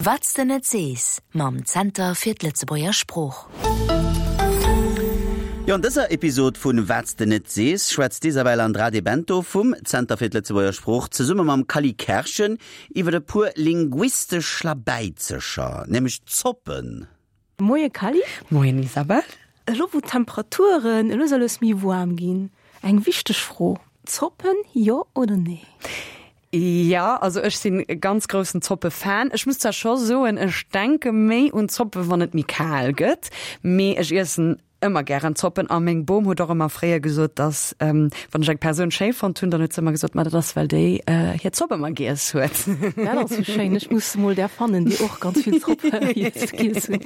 Wat s de net sees mam Zenter fir d'Lëtzebuerger Sprooch. Jo, an dëser Episod vun Wat s de net sees schwätzt d'Isabel Andrade Bento vum Zenter fir d'Lëtzebuerger Sprooch zesumme mam Kally Kerschen iwwer e puer linguistesch Schlabäizecher, nämlech Zoppen. Moie Kally. Moien Isabel. Elo wou d'Temperaturen lues a lues méi waarm ginn, eng wichteg Fro, Zoppen, jo oder nee? Jo, also ech sinn e ganz groussen Zoppe-Fan. Ech muss zwar scho soen, ech denke méi un Zoppe wann et méi kal gëtt, mee ech iessen ëmmer gären Zoppen a meng Bom huet och ëmmer fréier gesot, dass wann ech eng Persoun schéi fonnt hunn, dann huet se ëmmer gesot, ma dat ass well déi hir Zopp ëmmer giess huet. Dat ass jo schéin. Ech muss mol där fannen, déi och ganz vill Zopp giess hunn.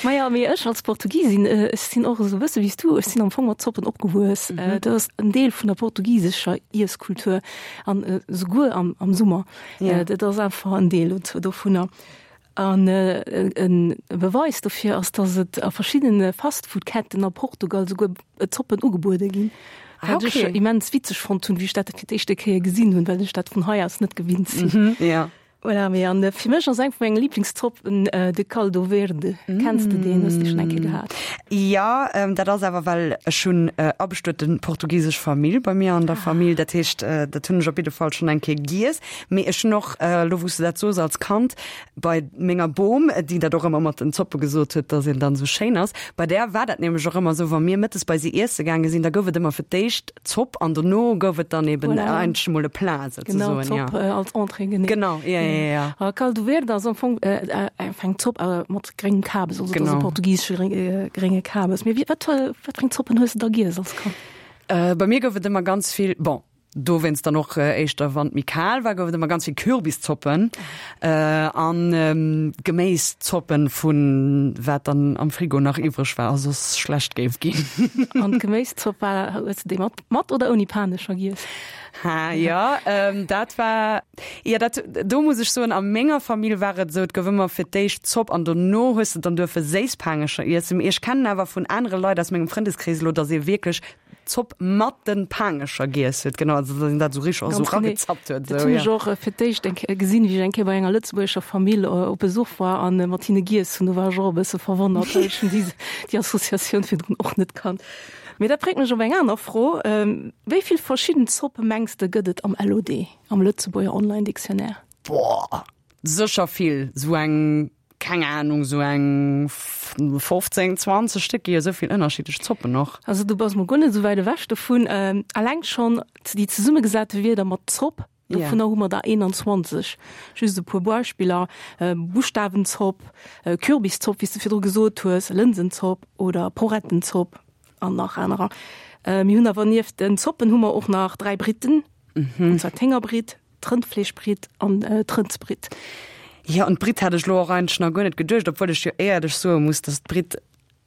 Maja, mee ech als Portugisin, ech sinn och esou e bësse wéi s du, ech sinn am Fong mat Zoppen opgewuess. Dat ass en Deel vun der portugisescher Iesskultur an esouguer am, am Summer. Dat ass einfach en Deel dovunner. An e Beweis dofir ass, datt et a verschiddene Fastfood-Ketten a Portugal esouguer Zoppen ugebuede ginn. Wat ech immens witzeg fonnt hunn, wéi ech dat fir d'éischte Kéier gesinn hunn, well ech dat vun hei aus net gewinnt sinn. Voilà, mee an fir mech ass eng vu menge Lieblingszoppen de Caldo Verde. Kenns de deen? Hues de schonn eng Kéier gehat? Jo, dat ass awer well ech hunn abestuete portugisesch Famill bei mir an der Famill. Dat heescht, dat hunn ech op jidde Fall schonn eng Kéier giess. Mee ech hunn och, elo wou s de dat soos, als Kand bei menger Bom, déi dat och ëmmer mat den Zoppe gesot huet, dass een dann esou schéin ass, bei där war dat nämlech och ëmmer esou, wa mir mëttes bei si iesse gaange sinn, da gouf et ëmmer fir d'éischt Zopp an dono gouf et dann eben voilà. eigentlech emol e Plat souzesoen. Genau, Zopp ja. äh, als Entrée genee. Genau, ja, ja, ja. A Caldo Verde ass am Fong äh, äh, eng Zopp äh, mat gréngem Kabes, also genau. portugiesesche gréng, äh, grénge Kabes. Mee wat, wat fir eng Zoppen hues du da giess als Kand? Äh, bei mir gouf et ëmmer ganz vill, bon, dowéinst dann och äh, éischter wann et méi kal war, gouf et ëmmer ganz vill Kürbiszoppen äh, an ähm, Geméiszoppen vun wat dann am Frigo nach iwwreg war a soss schlecht géif ginn. An d'Geméiszopp war, hues de déi mat, mat oder ouni Panescher giess? Ha, jo, ähm, dat war, jo, dat, do muss ech soen, a menger Famill war et esou, et gouf ëmmer fir d'éischt Zopp an dono hues de dann duerfe Séisspaangecher iessen. Mee ech kennen awer vun anere Leit aus mengem Frëndeskrees elo, dass ee wierklech Zopp mat den Paangecher giess huet, genau, also dass een dat esou richteg och esou ragezappt huet. Dat hunn ech och fir d'éischt eng Kéier gesinn, wéi ech eng Kéier bei enger lëtzebuergescher Famill op Besuch war an mat hinne giess hunn. Do war ech och e bësse verwonnert, well ech hunn déi déi Associatioun virdrun och net kannt. Mee dat bréngt mech op eng aner Fro, Wéi vill verschidden Zoppe mengs de gëtt et am LOD, am Lëtzebuerger Online Dictionnaire? Boah, sécher vill, esou eng keng Ahnung, sou eng 15, 20 Stéck gi jo sou vill ënnerschiddlech Zoppen och. Also du bass mol guer net sou wäit ewech dovun. Alleng schonn déi zesummegesate Wierder mat Zopp, dovunner hu mer der 21. Just e puer Beispiller, Buschtawenzopp, Kürbiszopp, wéi s de virdru gesot hues, Lënsenzopp oder Porettenzopp an nach anerer. Mir hunn awer nieft den Zoppen hu mer och nach 3 Britten, und zwar d'Héngerbritt, D'Rëndfleeschbritt an d'Rëndsbritt. Jo, un d'Britt hat ech lo och eigentlech nach guer net geduecht, obwuel ech jo éierlech soe muss, dass d'Britt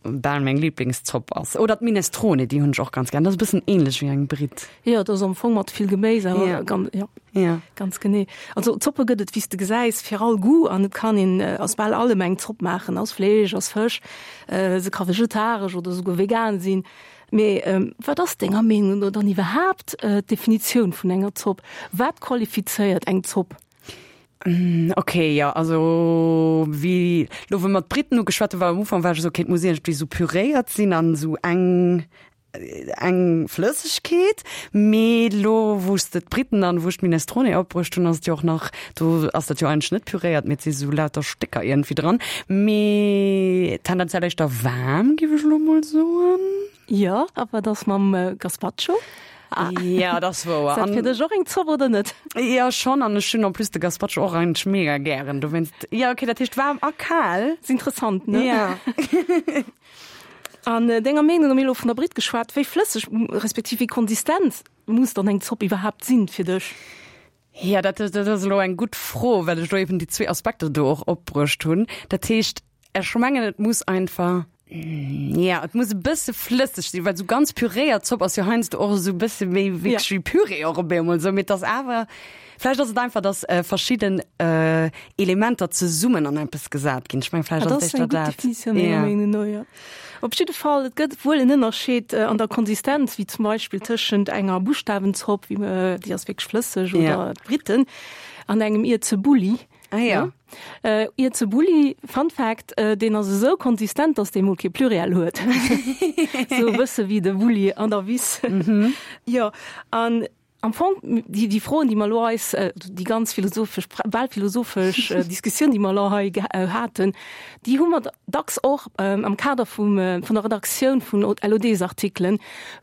bal meng Liblingszopp ass. Oder d'Minestrone, déi hunn ech och ganz gär. Dat ass e bëssen ähnlech wéi eng Britt. Jo, dat ass am Fong mat vill Geméis, awer ja. Ganz, ja. Ja. ganz genee. Also Zoppe gëtt et, wéi s de gesäis, fir all Goût an et kann een aus bal allem eng Zopp maachen, aus Fleesch, aus Fësch, se ka vegetaresch oder souguer vegan sinn. Mee wat ass denger Meenung no dann iwwerhaapt d'Definitioun vun enger Zopp? Wat qualifizéiert eng Zopp? Ok, jo, also wéi lo wou mer d'Britten ugeschwat hunn, war am Ufank war ech esou, ok, et muss iergendwéi esou püréiert sinn an esou eng eng Flëssegkeet. Mee lo wou s de d'Britten an wou ech d'Minestrone opbruecht hunn, ass et jo och nach, do ass dat jo eigentlech net püréiert, mee et si sou lauter Stécker iergendwéi dran. Mee tendenziell éischter waarm, géif ech elo mol soen. Jo, a wat ass mam Gazpacho? Ja, dat ass wouer. Ass dat fir dech och eng Zopp oder net? Jo, schonn. An ech hunn en plus de Gazpacho och eigentlech mega gären. Dowéinst, jo, okay, dat heescht waarm a kal. Ass interessant, ne? Jo. An denger Meenung no, mir hu elo vun der Britt geschwat, wéi flësseg respektiv wéi konsistent muss dann eng Zopp iwwerhaapt sinn fir dech? Jo, dat dat ass elo eng gutt Fro, well ech elo eben déi zwee Aspekter do och opbruecht hunn. Dat heescht, ech mengen, et muss einfach, jo, et muss e bësse flësseg sinn, well esou ganz püréiert Zopp ass jo heiansdo och esou e bësse méi wierklech wéi Püree och op eemol esou. Mee et ass awer, vläicht ass et einfach, datt verschidden Elementer zesummen an eppes gesat ginn. Ech mengen, vläicht ass et éischter dat. Dat ass eng gutt Definitioun, menger Meenung no, jo. Op jidde Fall, et gëtt wuel en Ënnerscheed an der Konsistenz, wéi zum Beispill tëschent enger Buschtawenzopp, wéi déi ass wierklech flësseg, oder d'Britten, an engem Ierzebulli. Ah ja. Ierzebulli, Fun Fact, deen ass esou konsistent, dass dee mol kee Pluriel huet. Sou e bësse wéi de Bulli an der Wiss. Jo, an am Fong déi, déi Froen, déi mer elo eis, déi ganz philosophesch, bal philosophesch Diskussioun, déi mer elo hei haten, déi hu mer dacks och am Kader vum, vun der Redaktioun vun LODs-Artikelen,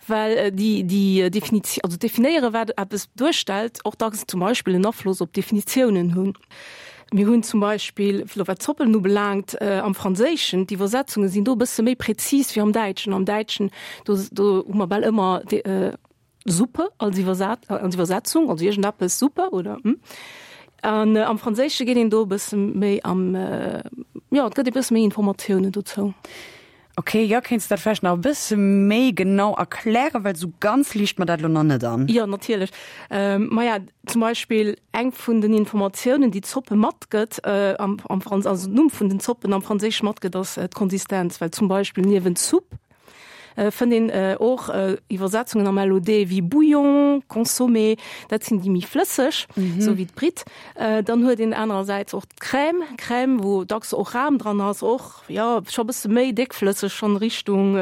well déi, déi Definitioun, also definéiere wat eppes duerstellt, och dacks zum Beispill en Afloss op d'Definitiounen hunn. Mir hunn zum Beispill, elo wat d'Zoppelen ubelaangt, am Franséischen, d'Iwwersetzunge sinn do e bësse méi präzis wéi am Däitschen. Am Däitschen, do, do hu mer bal ëmmer Suppe als Iwwersat, als Iwwersetzung, also iergendeppes Suppe oder hm. An am Franséische geet een do e bësse méi am, jo, et gëtt e bësse méi Informatiounen dozou. Ok, jo, kéints de dat vläicht nach e bësse méi genau erklären, well esou ganz liicht mer dat elo nach net an. Jo, natierlech. Maja, zum Beispill eng vun den Informatiounen, déi d'Zoppe matgëtt am, am Franz-, also den Numm vun den Zoppen am Franséische matgëtt, ass d'Konsistenz, well zum Beispill niewent Soupe fënnt een och Iwwersetzungen am LOD wéi Bouillon, Consommé, dat sinn déi méi flësseg, esou wéi d'Britt. Dann huet een anerersäits och d'Crème, Crème, wou dacks och Ram dran ass, och jo scho bësse méi déckflësseg, schonn Richtung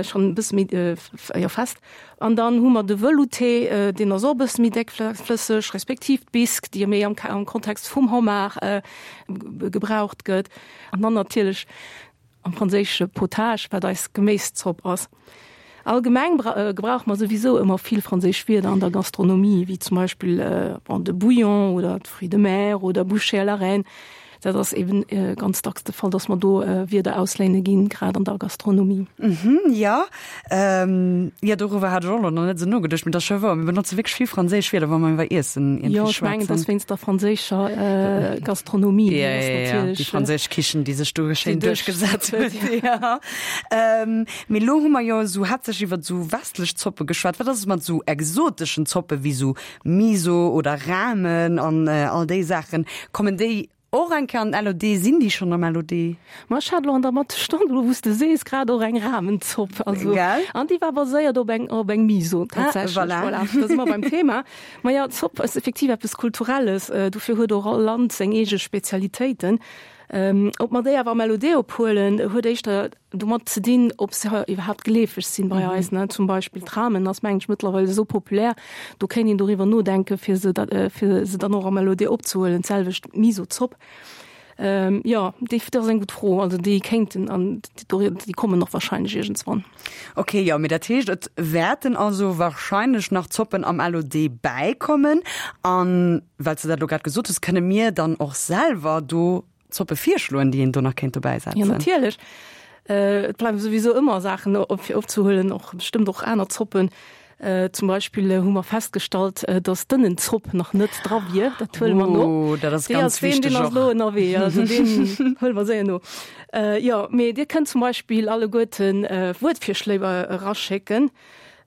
schonn e bësse méi jo fest. An dann hu mer de Velouté, deen ass och e bësse méi déckflësseg, respektiv d'Bisque, déi méi am am Kontext vum Homard gebraucht gëtt. An dann natierlech am Franséische Potage, wat eis Geméiszopp ass. Allgemeng gebrauche mer souwisou ëmmer vill franséisch Wierder an der Gastronomie, wéi zum Beispill bon, de Bouillon oder d'Fruits de mer oder Bouchée à la reine. Dat ass eben ganz dacks de Fall, dass mer do Wierder ausléine ginn, grad an der Gastronomie. Mhm, jo. Jo, doriwwer hat ech och elo nach net esou nogeduecht, mee dat ass scho wouer. Mir benotze wierklech vill franséisch Wierder, wa mer iwwer Iessen iergendwéi schwätzen. Jo, ech mengen, et ass wéinst der franséischer Gastronomie. Jo, jo, jo, déi franséisch Kichen, déi sech do schéin duerchgesat huet. Jo. Mee elo hu mer jo esou haaptsächlech iwwer esou westlech Zoppe geschwat. Wat ass et mat esou exoteschen Zoppe wéi esou Miso oder Ramen an all déi Saachen? Kommen déi och eng Kéier an den LOD? Sinn déi schonn am LOD? Ma ech hat elo an der Mattestonn, elo wou s de sees, grad och eng Ramenzopp. Also, Gell? an déi war baséiert op eng, op eng Miso tatsächlech. Ah, voilà. Voilà, da si mer beim Thema. Ma jo, Zopp ass effektiv eppes Kulturelles. Dofir huet och all Land seng eege Spezialitéiten. Ob mer déi awer am LOD ophuelen, huet éischter domat ze dinn, ob se iwwerhaapt geleefeg sinn bei eis. Ne? Zum Beispill d'Ramen ass, mengen ech, mëttlerweil esou populär, do kéint een doriwwer nodenken, fir se da, fir se dann och am LOD opzehuelen. D'selwecht d'Miso-Zopp. Jo, déi, dat ass eng gutt Fro. Also déi kéinten an déi kommen och wahrscheinlech iergendswann. Ok, jo, mee dat heescht, et wäerten also wahrscheinlech nach Zoppen am LOD bäikommen. An well s de dat elo grad gesot hues, kënne mir dann och selwer do Zoppe virschloen, déi een do nach kéint dobäi setzen? Jo, natierlech. Et bleiwe souwisou ëmmer Saachen op fir opzehuelen, och bestëmmt och aner Zoppen. Zum Beispill hu mer festgestallt, datt d'Ënnenzopp nach net dra wier. Dat huele mer no. Oh, dat ass ganz wichteg och. Deen ass elo ënnerwee, also deen huele mer séier no. Jo, mee Dir kënnt zum Beispill alleguerten Wuertvirschléi eraschécken.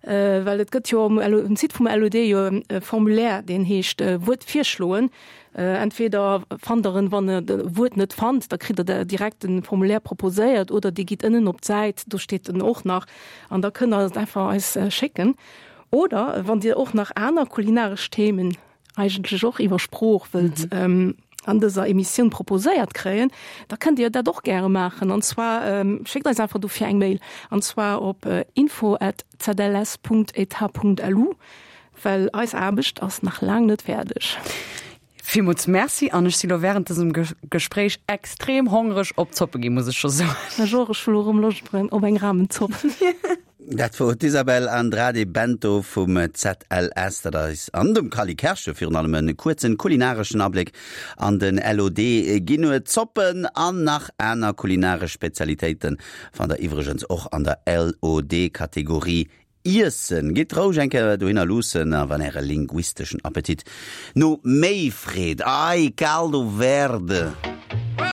Well et gëtt jo um Site vum LOD jo e Formulaire, deen heescht Wuert virschloen. Entweder fannt der en, wann der e Wuert net fannt, da kritt der direkt de Formulaire proposéiert, oder Dir gitt ënnen op d'Säit, do steet en och nach, an da kënnt der et einfach eis schécken. Oder wann Dir och nach aner kulinaresch Themen eigentlech och iwwer Sprooch wëllt an dëser Emissioun proposéiert kréien, da kënnt Dir dat och gäre maachen. An zwar schéckt eis einfach dofir eng Mail, an zwar op info at zls Punkt etat Punkt lu, well eis Aarbecht ass nach laang net fäerdeg. Villmools Merci an ech si lo während dësem Gespréich extrem hongreg op Zoppe ginn, muss ech scho soen. Ech och, ech hu lo erëm Loscht op eng Ramenzopp. Dat wor d'Isabel Andrade Bento vum ZLS, dat eis an dem Cally Kerschen virun allem e kuerzen kulinareschen Abléck an den LOD ginn huet. Zoppen an nach aner kulinaresch Spezialitéiten fannt der iwwregens och an der LOD-Kategorie Iessen. Gitt roueg eng Kéier dohinner luussen a wann äre linguisteschen Appetit no méi freet, ei, Caldo Verde!